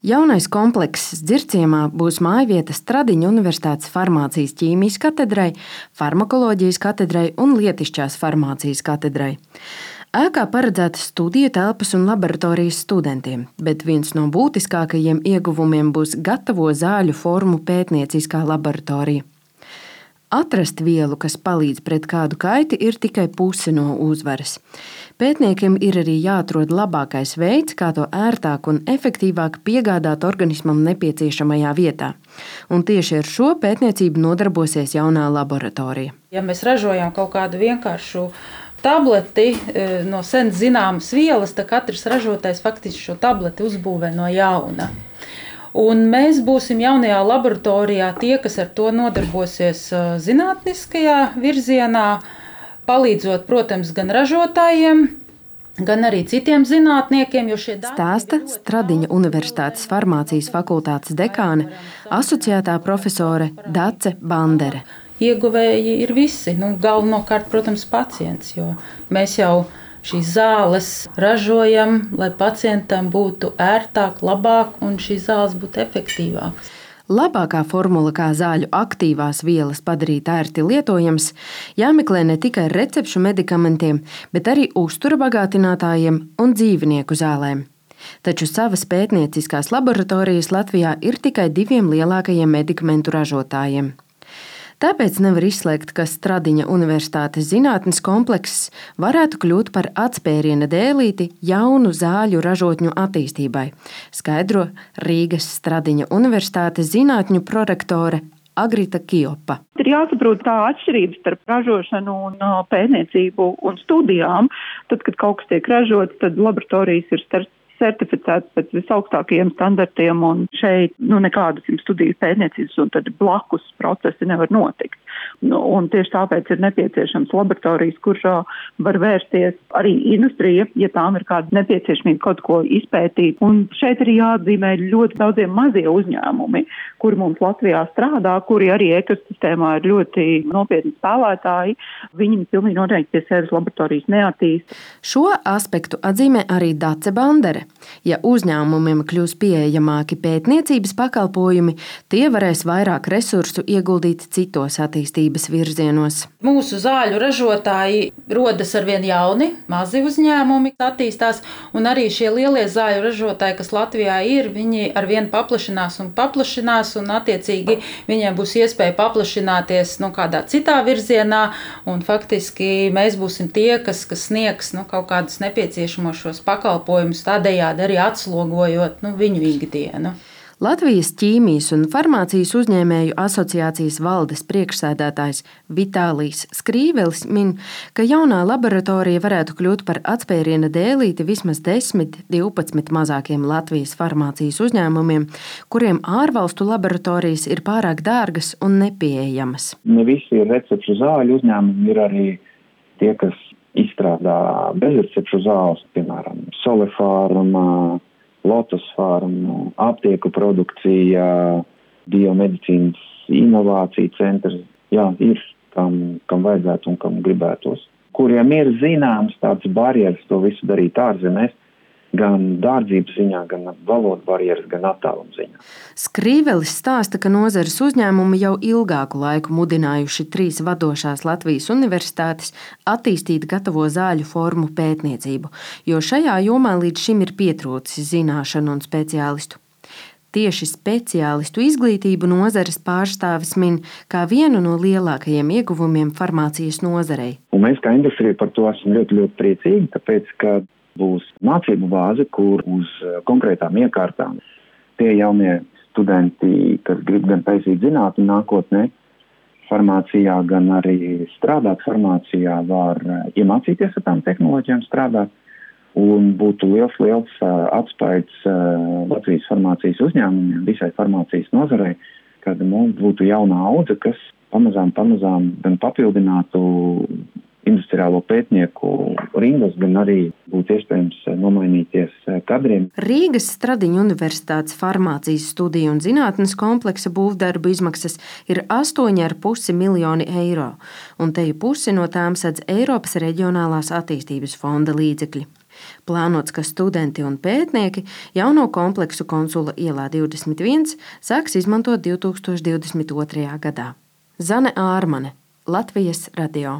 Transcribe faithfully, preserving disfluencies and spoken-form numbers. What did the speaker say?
Jaunais komplekss Dzirciemā būs mājvieta Stradiņa Universitātes farmācijas ķīmijas katedrai, farmakoloģijas katedrai un lietišķās farmācijas katedrai. Ēkā paredzētas studiju telpas un laboratorijas studentiem, bet viens no būtiskākajiem ieguvumiem būs gatavo zāļu formu pētnieciskā laboratorija. Atrast vielu, kas palīdz pret kādu kaiti, ir tikai puse no uzvaras. Pētniekiem ir arī jāatrod labākais veids, kā to ērtāk un efektīvāk piegādāt organismam nepieciešamajā vietā. Un tieši ar šo pētniecību nodarbosies jaunā laboratorija. Ja mēs ražojam kaut kādu vienkāršu tableti no sen zināmas vielas, tad katrs ražotājs faktiski šo tableti uzbūvē no jauna. Un mēs būsim jaunajā laboratorijā tie, kas ar to nodarbosies zinātniskajā virzienā, palīdzot, protams, gan ražotājiem, gan arī citiem zinātniekiem. Stāsta Stradiņa Universitātes farmācijas fakultātes dekāne, asociētā profesore Dace Bandere. Ieguvēji ir visi, nu, galvenokārt, protams, pacients, jo mēs jau šīs zāles ražojam, lai pacientam būtu ērtāk, labāk un šīs zāles būtu efektīvākas. Labākā formula, kā zāļu aktīvās vielas padarīt ērti lietojams, jāmeklē ne tikai recepšu medikamentiem, bet arī uztura bagātinātājiem un dzīvnieku zālēm. Taču savas pētnieciskās laboratorijas Latvijā ir tikai diviem lielākajiem medikamentu ražotājiem. Tāpēc nevar izslēgt, ka Stradiņa Universitātes zinātnes komplekss varētu kļūt par atspēriena dēlīti jaunu zāļu ražotņu attīstībai, skaidro Rīgas Stradiņa Universitātes zinātņu prorektore Agrita Kiopa. Ir jāsaprot tā atšķirības starp ražošanu un pētniecību un studijām. Tad, kad kaut kas tiek ražots, tad laboratorijas ir starp certificēts pēc visaugstākajiem standartiem, un šeit nu, nekādas studiju pētniecības un tad blakus procesi nevar notikt. Nu, un tieši tāpēc ir nepieciešams laboratorijas, kurš var vērsties arī industrija, ja tām ir kāda nepieciešamība kaut ko izpētīt. Un šeit arī jāatzīmē ļoti daudziem mazie uzņēmumi, kuri mums Latvijā strādā, kuri arī ekosistēmā ir ļoti nopietni spēlētāji. Viņi pilnīgi noteikti pie sevis laboratorijas neattīst. Šo aspektu atzīmē arī Dace Bandere. Ja uzņēmumiem kļūs pieejamāki pētniecības pakalpojumi, tie varēs vairāk resursu ieguldīt citos attīstības virzienos. Mūsu zāļu ražotāji rodas arvien jauni, mazi uzņēmumi attīstās, un arī šie lielie zāļu ražotāji, kas Latvijā ir, viņi arvien paplašinās un paplašinās, un attiecīgi viņiem būs iespēja paplašināties nu, kādā citā virzienā, un faktiski mēs būsim tie, kas, kas sniegs nu, kaut kādus nepieciešamos šos pakalpojumus tādējādi arī atslogojot nu, viņu ikdienu. Latvijas ķīmijas un farmācijas uzņēmēju asociācijas valdes priekšsēdētājs Vitālijs Skrīvelis min, ka jaunā laboratorija varētu kļūt par atspēriena dēlīti vismaz desmit, divpadsmit mazākiem Latvijas farmācijas uzņēmumiem, kuriem ārvalstu laboratorijas ir pārāk dārgas un nepieejamas. Ne visi ir recepšu zāļu uzņēmumi, ir arī tie, kas izstrādā bezrecepšu zāles, piemēram, Solefārma, Lotus Pharma, aptieku produkcija, biomedicīnas inovācija centrs. Jā, ir, kam, kam vajadzētu un kam gribētos. Kuriem ir zināms tāds barjeras to visu darīt ārzemēs, gan dārdzības ziņā, gan valodu barjeras, gan attāluma ziņā. Skrīvelis stāsta, ka nozares uzņēmumi jau ilgāku laiku mudinājuši trīs vadošās Latvijas universitātes attīstīt gatavo zāļu formu pētniecību, jo šajā jomā līdz šim ir pietrūcis zināšanu un speciālistu. Tieši speciālistu izglītību nozares pārstāvis min kā vienu no lielākajiem ieguvumiem farmācijas nozarei. Un mēs kā industrija par to esam ļoti, ļoti priecīgi, tāpēc, ka būs mācību bāze, kur uz konkrētām iekārtām tie jaunie studenti, kas grib gan taisīt zinātni nākotnē, farmācijā, gan arī strādāt farmācijā, var iemācīties ar tām tehnoloģijām strādāt. Un būtu liels, liels atspaids Latvijas farmācijas uzņēmumiem, visai farmācijas nozarei, kad mums būtu jauna audze, kas pamazām, pamazām gan papildinātu industriālo pētnieku rindas, gan arī būtu iespējams nomainīties kadriem. Rīgas Stradiņa Universitātes farmācijas studiju un zinātnes kompleksa būvdarbu izmaksas ir astoņi ar pusi miljoni eiro, un te pusi no tām sedz Eiropas reģionālās attīstības fonda līdzekļi. Plānots, ka studenti un pētnieki jauno kompleksu Konsula ielā divdesmit viens sāks izmantot divtūkstoš divdesmit otrajā gadā. Zane Ārmane, Latvijas radio.